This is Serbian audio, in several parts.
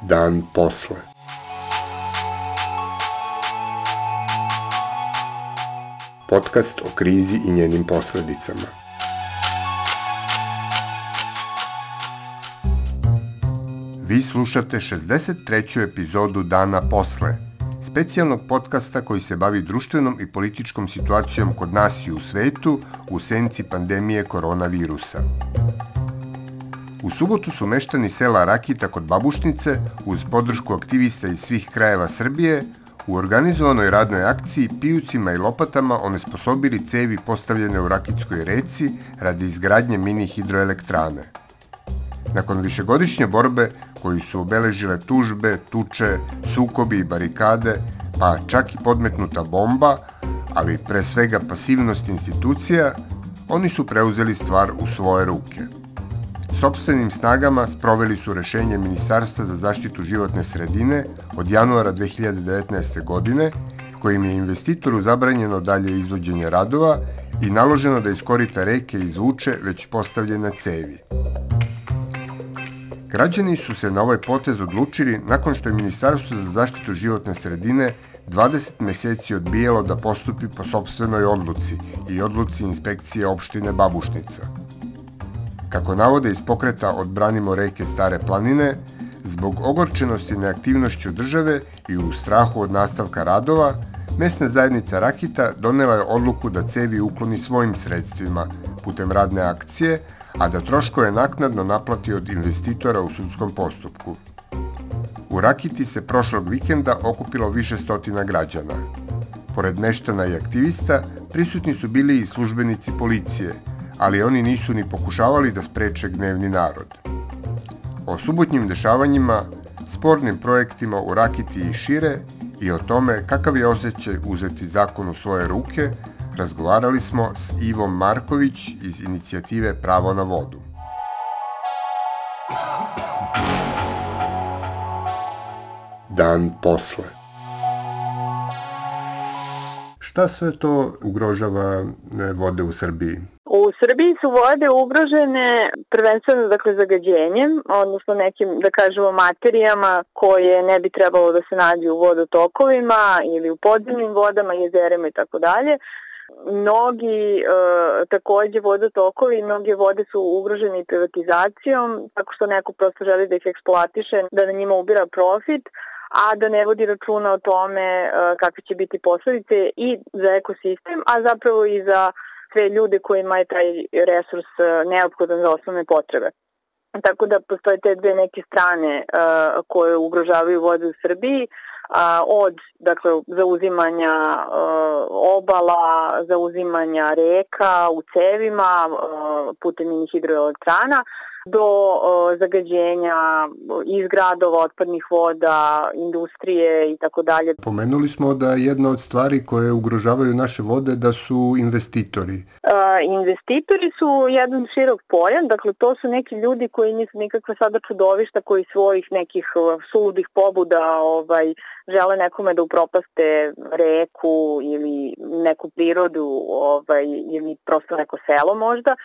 Dan posle. Podcast o krizi i njenim posledicama. Vi slušate 63. epizodu Dana posle, specijalnog podcasta koji se bavi društvenom i političkom situacijom kod nas i u svetu u senci pandemije koronavirusa. U subotu su meštani sela Rakita kod Babušnice, uz podršku aktivista iz svih krajeva Srbije, u organizovanoj radnoj akciji pijucima i lopatama onesposobili cevi postavljene u Rakitskoj reci radi izgradnje mini hidroelektrane. Nakon višegodišnje borbe koju su obeležile tužbe, tuče, sukobi i barikade, pa čak i podmetnuta bomba, ali pre svega pasivnost institucija, oni su preuzeli stvar u svoje ruke. Sopstvenim snagama sproveli su rešenje Ministarstva za zaštitu životne sredine od januara 2019. godine, kojim je investitoru zabranjeno dalje izvođenje radova i naloženo da iz korita reke izvuče već postavljene cevi. Građani su se na ovaj potez odlučili nakon što je Ministarstvo za zaštitu životne sredine 20 meseci odbijalo da postupi po sopstvenoj odluci i odluci inspekcije opštine Babušnica. Kako navode iz pokreta Odbranimo reke Stare planine, zbog ogorčenosti neaktivnošću države i u strahu od nastavka radova, mesna zajednica Rakita donela je odluku da cevi ukloni svojim sredstvima putem radne akcije, a da troškove naknadno naplati od investitora u sudskom postupku. U Rakiti se prošlog vikenda okupilo više stotina građana. Pored meštana i aktivista, prisutni su bili i službenici policije, ali oni nisu ni pokušavali da spreče gnevni narod. O subotnjim dešavanjima, spornim projektima u Rakiti i šire i o tome kakav je osjećaj uzeti zakon u svoje ruke, razgovarali smo s Ivom Marković iz inicijative Pravo na vodu. Dan posle. Šta sve to ugrožava vode u Srbiji? U Srbiji su vode ugrožene prvenstveno zagađenjem, odnosno nekim, da kažemo, materijama koje ne bi trebalo da se nađu u vodotokovima ili u podzemnim vodama, jezerima i tako dalje. Mnogi takođe vodotokovi i mnoge vode su ugrožene i privatizacijom, tako što neko prosto želi da ih eksploatiše, da na njima ubira profit, a da ne vodi računa o tome kakve će biti posledice i za ekosistem, a zapravo i za sve ljude kojima je taj resurs neophodan za osnovne potrebe. Tako da postoje te dve neke strane koje ugrožavaju vode u Srbiji, od zauzimanja obala, zauzimanja reka u cevima putem mini hidroelektrana, do zagađenja iz gradova, otpadnih voda, industrije i tako dalje. Pomenuli smo da jedna od stvari koje ugrožavaju naše vode da su investitori. Investitori su jedan širok pojam, dakle to su neki ljudi koji nisu nikakva sada čudovišta, koji svojih nekih suludih pobuda žele nekome da upropaste reku ili neku prirodu ili prosto neko selo možda,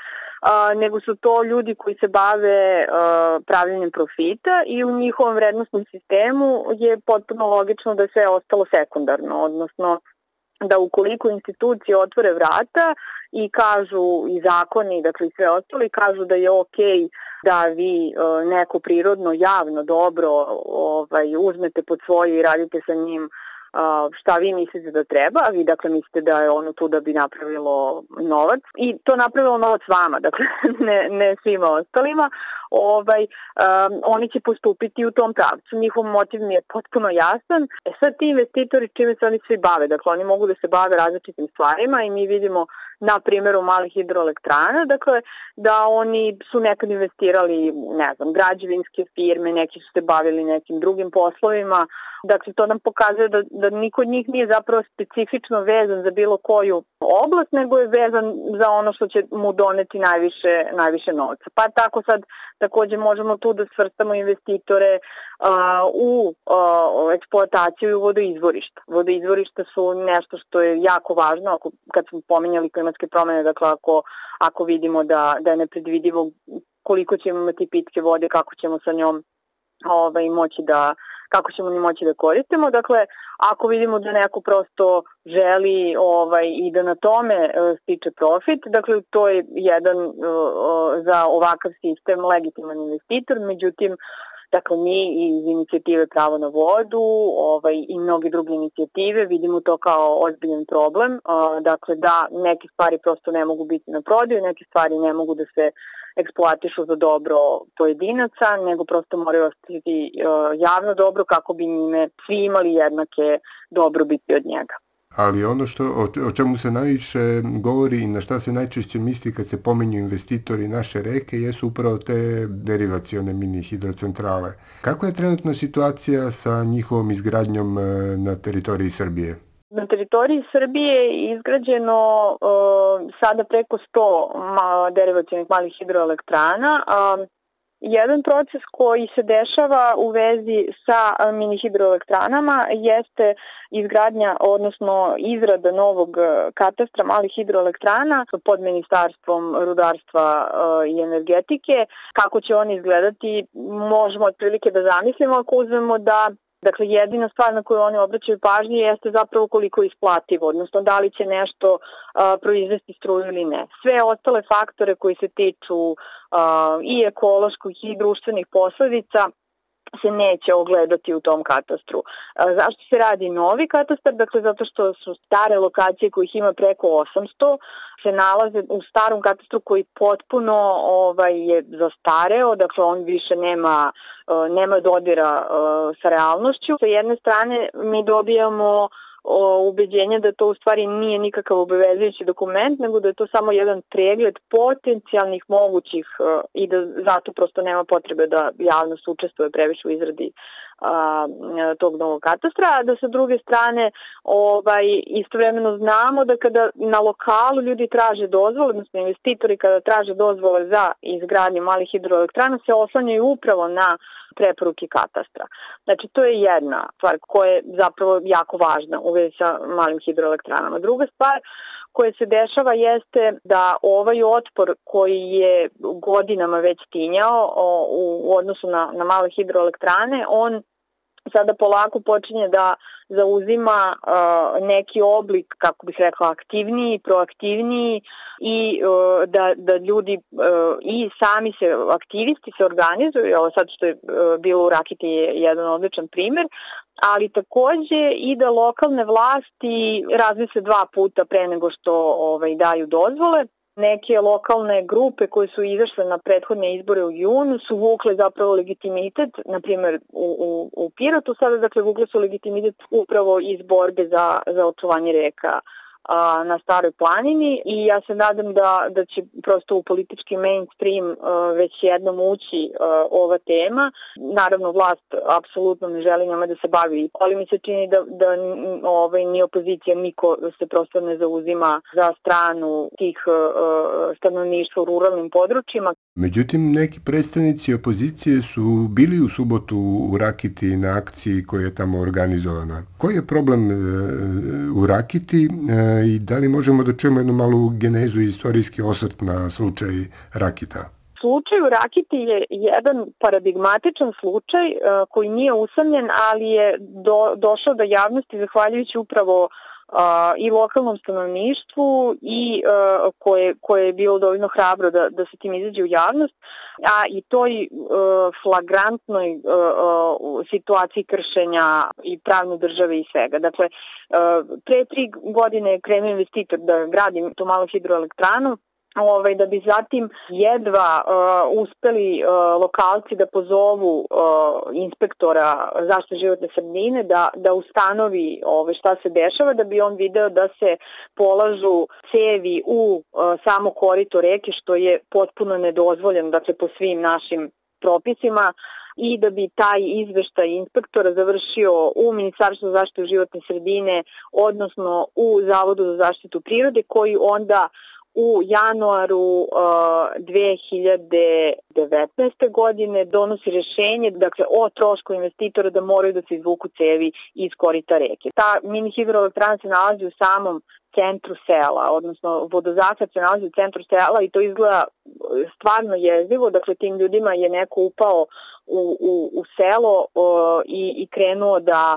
nego su to ljudi koji se bave pravljenjem profita i u njihovom vrednostnom sistemu je potpuno logično da je sve ostalo sekundarno, odnosno da ukoliko institucije otvore vrata i kažu i zakoni, dakle i sve ostalo, i kažu da je okej da vi neko prirodno javno dobro uzmete pod svoje i radite sa njim šta vi mislite da treba, a vi dakle mislite da je ono tu da bi napravilo novac i to napravilo novac vama, dakle ne svima ostalima, oni će postupiti u tom pravcu. Njihov motiv mi je potpuno jasan. Sad ti investitori čime se oni svi bave, dakle oni mogu da se bave različitim stvarima i mi vidimo na primjeru malih hidroelektrana, dakle da oni su nekad investirali, građevinske firme, neki su se bavili nekim drugim poslovima, dakle to nam pokazuje da niko od njih nije zapravo specifično vezan za bilo koju oblast, nego je vezan za ono što će mu doneti najviše novca. Pa tako sad takođe možemo tu da svrstamo investitore u eksploataciju i vodoizvorišta. Vodoizvorišta su nešto što je jako važno, kad smo pominjali klimatske promene, dakle ako vidimo da je nepredvidivo koliko ćemo imati pitke vode, kako ćemo sa njom kako ćemo moći da koristimo. Dakle, ako vidimo da neko prosto želi i da na tome stiče profit, dakle to je jedan za ovakav sistem legitiman investitor, međutim dakle, mi iz inicijative Pravo na vodu i mnoge druge inicijative vidimo to kao ozbiljan problem, dakle da neke stvari prosto ne mogu biti na prodaju, neke stvari ne mogu da se eksploatišu za dobro pojedinaca, nego prosto moraju ostati javno dobro kako bi njime svi imali jednake dobrobiti od njega. Ali ono o čemu se najviše govori i na šta se najčešće misli kad se pominju investitori naše reke jesu upravo te derivacione mini hidrocentrale. Kako je trenutna situacija sa njihovom izgradnjom na teritoriji Srbije? Na teritoriji Srbije je izgrađeno sada preko 100 derivacionih malih hidroelektrana. Jedan proces koji se dešava u vezi sa mini hidroelektranama jeste izgradnja, odnosno izrada novog katastra malih hidroelektrana pod Ministarstvom rudarstva i energetike. Kako će oni izgledati, možemo otprilike da zamislimo ako uzmemo da jedina stvar na koju oni obraćaju pažnju jeste zapravo koliko je isplativo, odnosno da li će nešto proizvesti struju ili ne. Sve ostale faktore koji se tiču i ekoloških i društvenih posledica se neće ogledati u tom katastru. Zašto se radi novi katastar? Dakle, zato što su stare lokacije kojih ima preko 800 se nalaze u starom katastru koji potpuno je zastareo, dakle on više nema dodira sa realnošću. Sa jedne strane mi dobijamo ubeđenje da to u stvari nije nikakav obavezujući dokument, nego da je to samo jedan pregled potencijalnih mogućih i da zato prosto nema potrebe da javnost učestvuje previše u izradi tog novog katastra, a da sa druge strane istovremeno znamo da kada na lokalu ljudi traže dozvole, odnosno investitori kada traže dozvole za izgradnju malih hidroelektrana se oslanjaju upravo na preporuke katastra. Znači to je jedna stvar koja je zapravo jako važna u vezi sa malim hidroelektranama. Druga stvar koja se dešava jeste da ovaj otpor koji je godinama već tinjao u odnosu na male hidroelektrane, on sada polako počinje da zauzima neki oblik, kako bih rekla, aktivniji, proaktivniji i da ljudi i sami aktivisti se organizuju. Ovo sad što je bilo u Rakiti je jedan odličan primer, ali takođe i da lokalne vlasti razmisle 2 puta pre nego što daju dozvole. Neke lokalne grupe koje su izašle na prethodne izbore u junu su vukle zapravo legitimitet, na primjer u Pirotu sada, dakle vukle su legitimitet upravo iz borbe za očuvanje reka na Staroj planini i ja se nadam da će prosto u politički mainstream već jednom ući ova tema. Naravno, vlast apsolutno ne želi njome da se bavi, ali mi se čini da ni opozicija, niko se prosto ne zauzima za stranu tih stanovništva u ruralnim područjima. Međutim, neki predstavnici opozicije su bili u subotu u Rakiti na akciji koja je tamo organizovana. Koji je problem u Rakiti i da li možemo da čujemo jednu malu genezu i istorijski osvrt na slučaj Rakita? Slučaj u Rakiti je jedan paradigmatičan slučaj koji nije usamljen, ali je došao do javnosti zahvaljujući upravo i lokalnom stanovništvu i koje je bilo dovoljno hrabro da se tim izađe u javnost, a i toj flagrantnoj situaciji kršenja i pravne države i svega. Dakle, pre 3 godine je krenuo investitor da gradi tu malu hidroelektranu, da bi zatim jedva uspeli lokalci da pozovu inspektora zaštite životne sredine da ustanovi šta se dešava, da bi on video da se polažu cevi u samo korito reke, što je potpuno nedozvoljeno, dakle po svim našim propisima i da bi taj izveštaj inspektora završio u Ministarstvu za zaštitu životne sredine, odnosno u Zavodu za zaštitu prirode, koji onda u januaru 2019. godine donosi rješenje, dakle, o trošku investitora da moraju da se izvuku cevi iz korita reke. Ta mini hidroelektrana se nalazi u samom centru sela, odnosno vodozahvat se nalazi u centru sela i to izgleda stvarno jezivo, dakle tim ljudima je neko upao u selo i krenuo da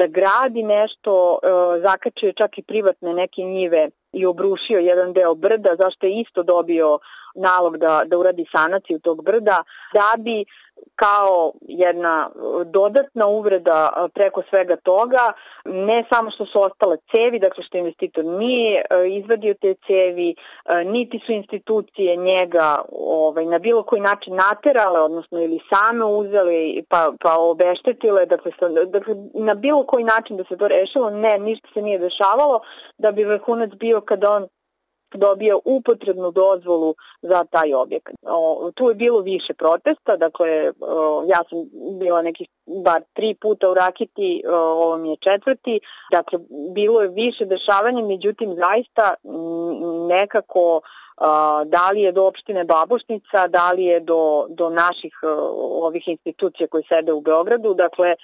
gradi nešto, zakačio čak i privatne neke njive i obrušio jedan deo brda, zašto je isto dobio nalog da uradi sanaciju tog brda, da bi kao jedna dodatna uvreda preko svega toga, ne samo što su ostale cevi, dakle što investitor nije izvadio te cevi, niti su institucije njega na bilo koji način naterale, odnosno ili same uzeli pa obeštetile, dakle na bilo koji način da se to rešilo, ne, ništa se nije dešavalo, da bi vrhunac bio kada on dobio upotrebnu dozvolu za taj objekat. Tu je bilo više protesta, dakle ja sam bila nekih bar 3 puta u Rakiti, ovo mi je 4. Dakle, bilo je više dešavanja, međutim zaista nekako da li je do opštine Babušnica, da li je do naših ovih institucija koji sede u Beogradu, dakle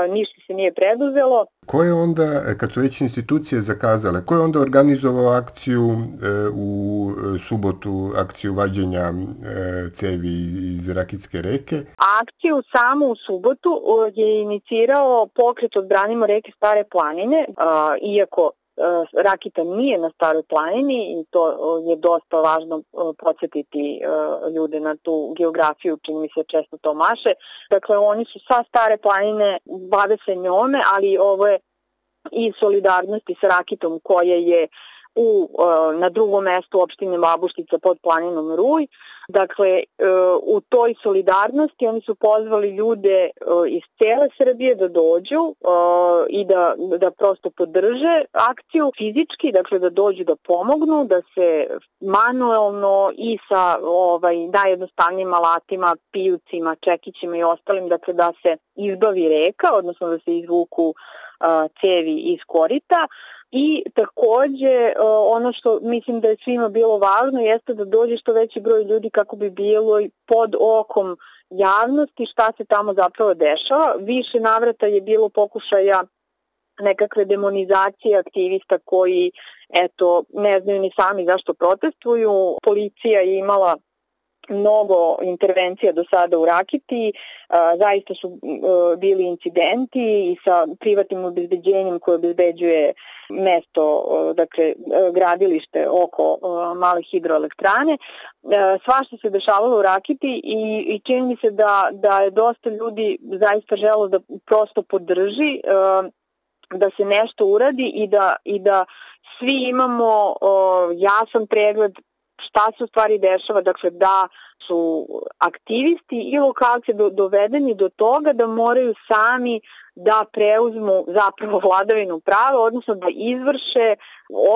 ništa se nije preduzelo. Ko je onda, kad su već institucije zakazale, ko je onda organizovao akciju u subotu, akciju vađenja cevi iz Rakitske reke? Akciju samu u subotu je inicirao pokret Odbranimo reke Stare planine, iako Rakita nije na Staroj planini i to je dosta važno podsjetiti ljude na tu geografiju, čini mi se često to maše. Dakle, oni su sa Stare planine, bave se njome, ali ovo je i solidarnosti sa Rakitom koja je na drugom mestu opštine Babuštica pod planinom Ruj. Dakle, u toj solidarnosti oni su pozvali ljude iz cele Srbije da dođu i da prosto podrže akciju fizički, dakle da dođu da pomognu, da se manuelno i sa najjednostavnijim alatima, pijucima, čekićima i ostalim, dakle da se izbavi reka, odnosno da se izvuku cevi iz korita. I takođe ono što mislim da je svima bilo važno jeste da dođe što veći broj ljudi kako bi bilo pod okom javnosti šta se tamo zapravo dešava. Više navrata je bilo pokušaja nekakve demonizacije aktivista koji ne znaju ni sami zašto protestuju. Policija je imala mnogo intervencija do sada u Rakiti, zaista su bili incidenti i sa privatnim obezbeđenjem koje obezbeđuje mesto, dakle gradilište oko male hidroelektrane. Svašta se dešavalo u Rakiti i čini mi se da je dosta ljudi zaista želo da prosto podrži, da se nešto uradi i da svi imamo jasan pregled šta se u stvari dešava, dakle da su aktivisti i lokalci dovedeni do toga da moraju sami da preuzmu zapravo vladavinu prava, odnosno da izvrše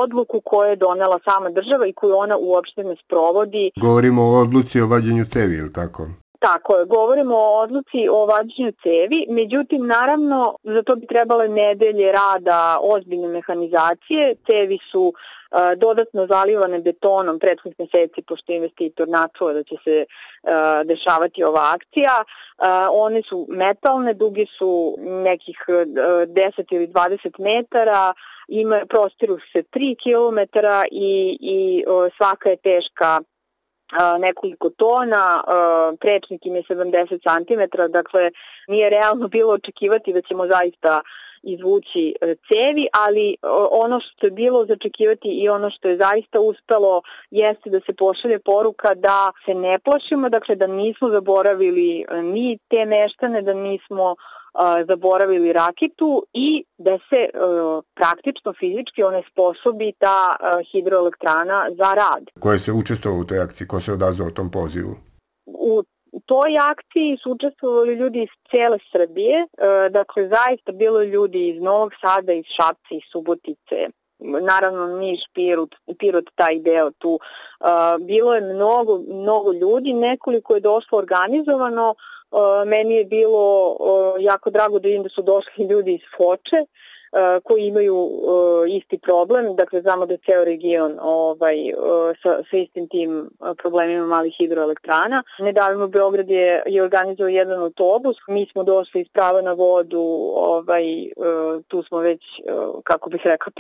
odluku koju je donela sama država i koju ona uopšte ne sprovodi. Govorimo o odluci o vađenju cevi, ili tako? Tako je, govorimo o odluci o vađenju cevi, međutim, naravno, za to bi trebale nedelje rada ozbiljne mehanizacije. Cevi su dodatno zalivane betonom prethodnih meseci, pošto je investitor načuo da će se dešavati ova akcija. One su metalne, duge su nekih 10 ili 20 metara, prostiru se 3 kilometara i svaka je teška nekoliko tona, prečnik im je 70 cm, dakle nije realno bilo očekivati da ćemo zaista izvući cevi, ali ono što je bilo začekivati i ono što je zaista uspelo jeste da se pošalje poruka da se ne plašimo, dakle da nismo zaboravili ni te meštane, da nismo zaboravili Rakitu i da se praktično fizički onesposobi ta hidroelektrana za rad. Ko je se učestvovao u toj akciji? Ko se odazvao tom pozivu? U toj akciji su učestvovali ljudi iz cijele Srbije, dakle zaista bilo ljudi iz Novog Sada, iz Šapca, iz Subotice, naravno Niš, Pirot, taj deo tu. Bilo je mnogo ljudi, nekoliko je došlo organizovano, Meni je bilo jako drago da vidim da su došli ljudi iz Foče koji imaju isti problem. Dakle, znamo da je ceo region sa istim tim problemima malih hidroelektrana. Nedavno Beograd je organizovao jedan autobus. Mi smo došli iz Prava na vodu, tu smo već, kako bih rekla,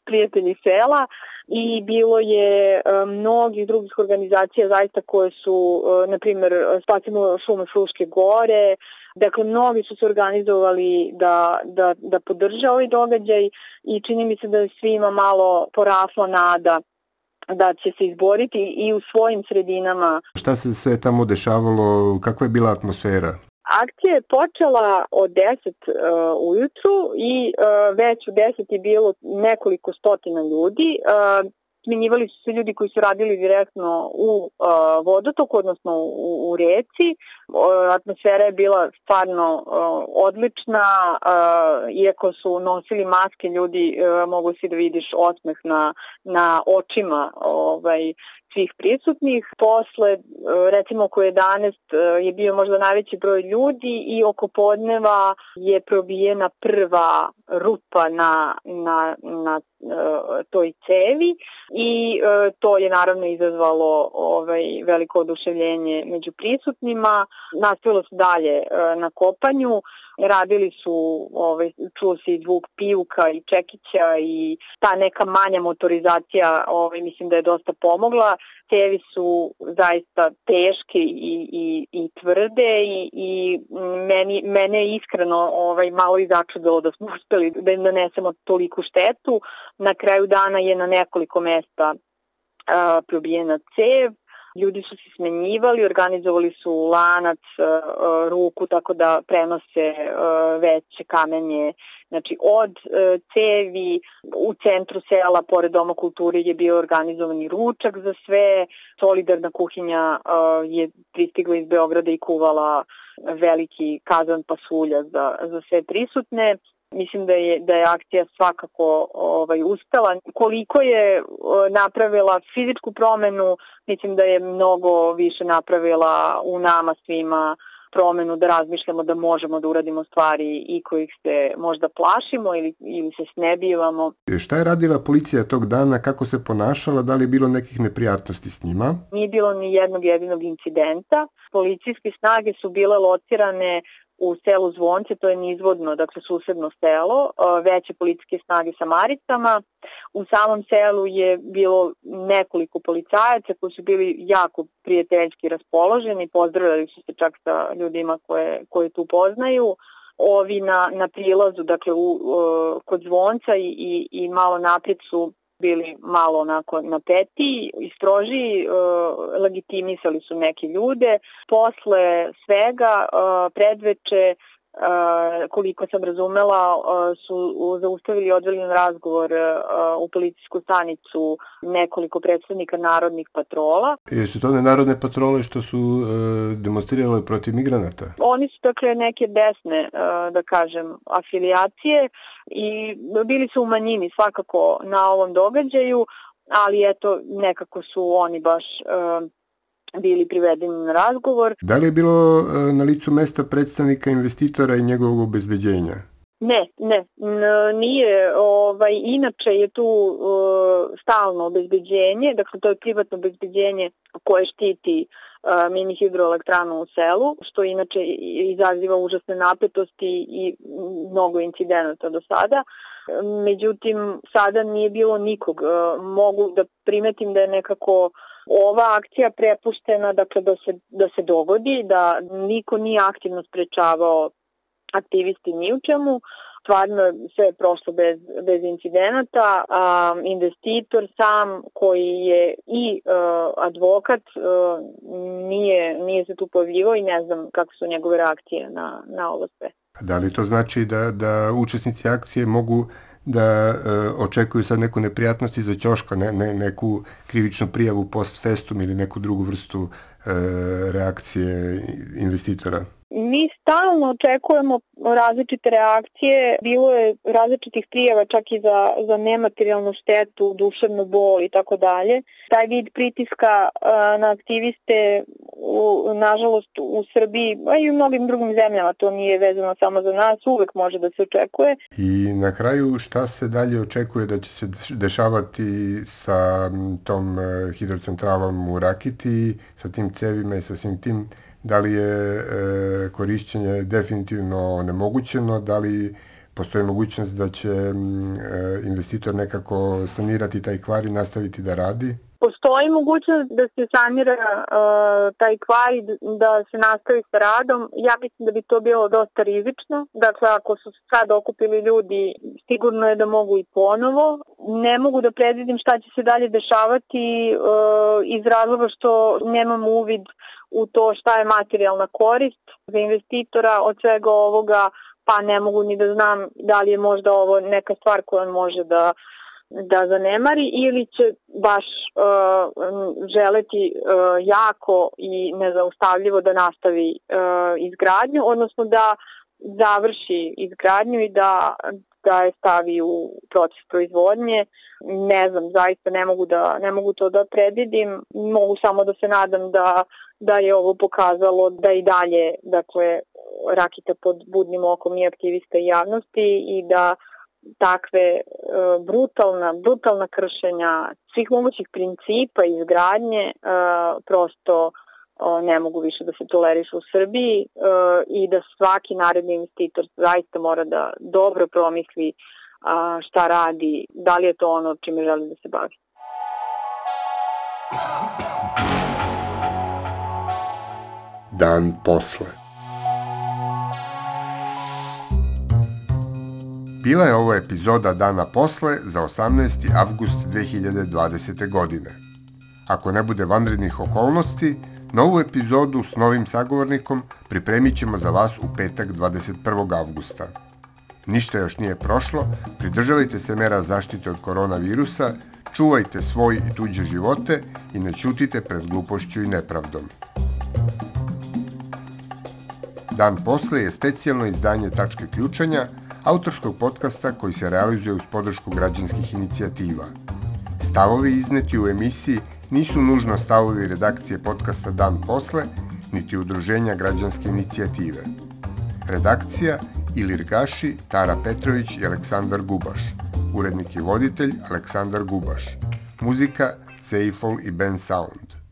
prijatelji sela i bilo je mnogih drugih organizacija zaista koje su, na primjer, Spasimo šume Fruške gore. Dakle, mnogi su se organizovali da podrže ovaj događaj i čini mi se da je svima malo porasla nada da će se izboriti i u svojim sredinama. Šta se sve tamo dešavalo, kakva je bila atmosfera? Akcija je počela od 10 ujutru i već u 10 je bilo nekoliko stotina ljudi. Smenjivali su se ljudi koji su radili direktno u vodotoku, odnosno u reci. Atmosfera je bila stvarno odlična, iako su nosili maske, ljudi mogu si da vidiš osmeh na očima svih prisutnih. Posle, recimo oko 11 je bio možda najveći broj ljudi i oko podneva je probijena prva rupa na toj cevi i to je naravno izazvalo veliko oduševljenje među prisutnima. Nastavilo se dalje na kopanju, radili su, čuo se i zvuk pijuka i čekića i ta neka manja motorizacija mislim da je dosta pomogla. Cevi su zaista teške i tvrde i mene je iskreno malo i začudilo da smo uspeli da im nanesemo toliku štetu. Na kraju dana je na nekoliko mesta probijena cev. Ljudi su se smenjivali, organizovali su lanac, ruku, tako da prenose veće kamenje. Znači, od cevi u centru sela, pored Doma kulture, je bio organizovani ručak za sve. Solidarna kuhinja je pristigla iz Beograda i kuvala veliki kazan pasulja za sve prisutne. Mislim da je akcija svakako uspela. Koliko je napravila fizičku promenu, mislim da je mnogo više napravila u nama svima promenu da razmišljamo da možemo da uradimo stvari i kojih se možda plašimo ili se snebivamo. Šta je radila policija tog dana, kako se ponašala, da li je bilo nekih neprijatnosti s njima? Nije bilo ni jednog jedinog incidenta. Policijske snage su bile locirane u selu Zvonce, to je nizvodno, dakle susedno selo, veće policijske snage sa Maricama. U samom selu je bilo nekoliko policajaca koji su bili jako prijateljski raspoloženi, pozdravljali su se čak sa ljudima koje tu poznaju. Ovi na prilazu, dakle kod Zvonca i malo naprijed su bili malo onako napeti i stroži, legitimisali su neke ljude. Posle svega, predveče, koliko sam razumela, su zaustavili i odveli na razgovor u policijsku stanicu nekoliko predstavnika narodnih patrola. Jesu to one narodne patrole što su demonstrirale protiv migranata? Oni su dakle neke desne, da kažem, afilijacije i bili su u manjini svakako na ovom događaju, ali eto nekako su oni baš bili privedeni na razgovor. Da li je bilo na licu mesta predstavnika investitora i njegovog obezbeđenja? Ne, nije. Inače je tu stalno obezbeđenje, dakle to je privatno obezbeđenje koje štiti mini hidroelektranu u selu, što inače izaziva užasne napetosti i mnogo incidenata do sada. Međutim, sada nije bilo nikog. Mogu da primetim da je nekako ova akcija prepuštena, dakle da se dogodi, da niko nije aktivno sprečavao aktivisti ni u čemu. Stvarno sve je prošlo bez incidenata. Investitor sam koji je i advokat nije se tu pojavljivao i ne znam kako su njegove reakcije na ovo sve. Da li to znači da učesnici akcije mogu da očekuju sad neku neprijatnost iza ćoška, neku krivičnu prijavu post festum ili neku drugu vrstu reakcije investitora? Mi stalno očekujemo različite reakcije, bilo je različitih prijava čak i za nematerijalnu štetu, duševnu bol i tako dalje. Taj vid pritiska na aktiviste, nažalost u Srbiji, a i u mnogim drugim zemljama, to nije vezano samo za nas, uvek može da se očekuje. I na kraju šta se dalje očekuje da će se dešavati sa tom hidrocentralom u Rakiti, sa tim cevima i sa svim tim? Da li je korišćenje definitivno onemogućeno, da li postoji mogućnost da će investitor nekako sanirati taj kvar i nastaviti da radi? Postoji mogućnost da se sanira taj kvar i da se nastavi sa radom. Ja mislim da bi to bilo dosta rizično. Dakle, ako su sad okupili ljudi, sigurno je da mogu i ponovo. Ne mogu da predvidim šta će se dalje dešavati iz razloga što nemam uvid u to šta je materijalna korist za investitora od svega ovoga, pa ne mogu ni da znam da li je možda ovo neka stvar koju on može da zanemari ili će baš želeti jako i nezaustavljivo da nastavi izgradnju, odnosno da završi izgradnju i da je stavi u proces proizvodnje. Ne znam, zaista ne mogu to da predvidim. Mogu samo da se nadam da je ovo pokazalo da i dalje, dakle, Rakita pod budnim okom i aktivista i javnosti i da takve brutalna kršenja svih mogućih principa izgradnje prosto ne mogu više da se tolerišu u Srbiji i da svaki naredni investitor zaista mora da dobro promisli šta radi, da li je to ono čime želi da se bavi. Dan posle. Bila je ovo epizoda Dana posle za 18. avgust 2020. godine. Ako ne bude vanrednih okolnosti, novu epizodu s novim sagovornikom pripremit ćemo za vas u petak 21. avgusta. Ništa još nije prošlo, pridržavajte se mera zaštite od koronavirusa, čuvajte svoj i tuđe živote i ne ćutite pred glupošću i nepravdom. Dan posle je specijalno izdanje Tačke ključanja, autorskog podcasta koji se realizuje uz podršku građanskih inicijativa. Stavovi izneti u emisiji nisu nužno stavovi redakcije podcasta Dan posle, niti udruženja građanske inicijative. Redakcija Ilir Gaši, Tara Petrović i Aleksandar Gubaš. Urednik i voditelj Aleksandar Gubaš. Muzika Seifol i Ben Sound.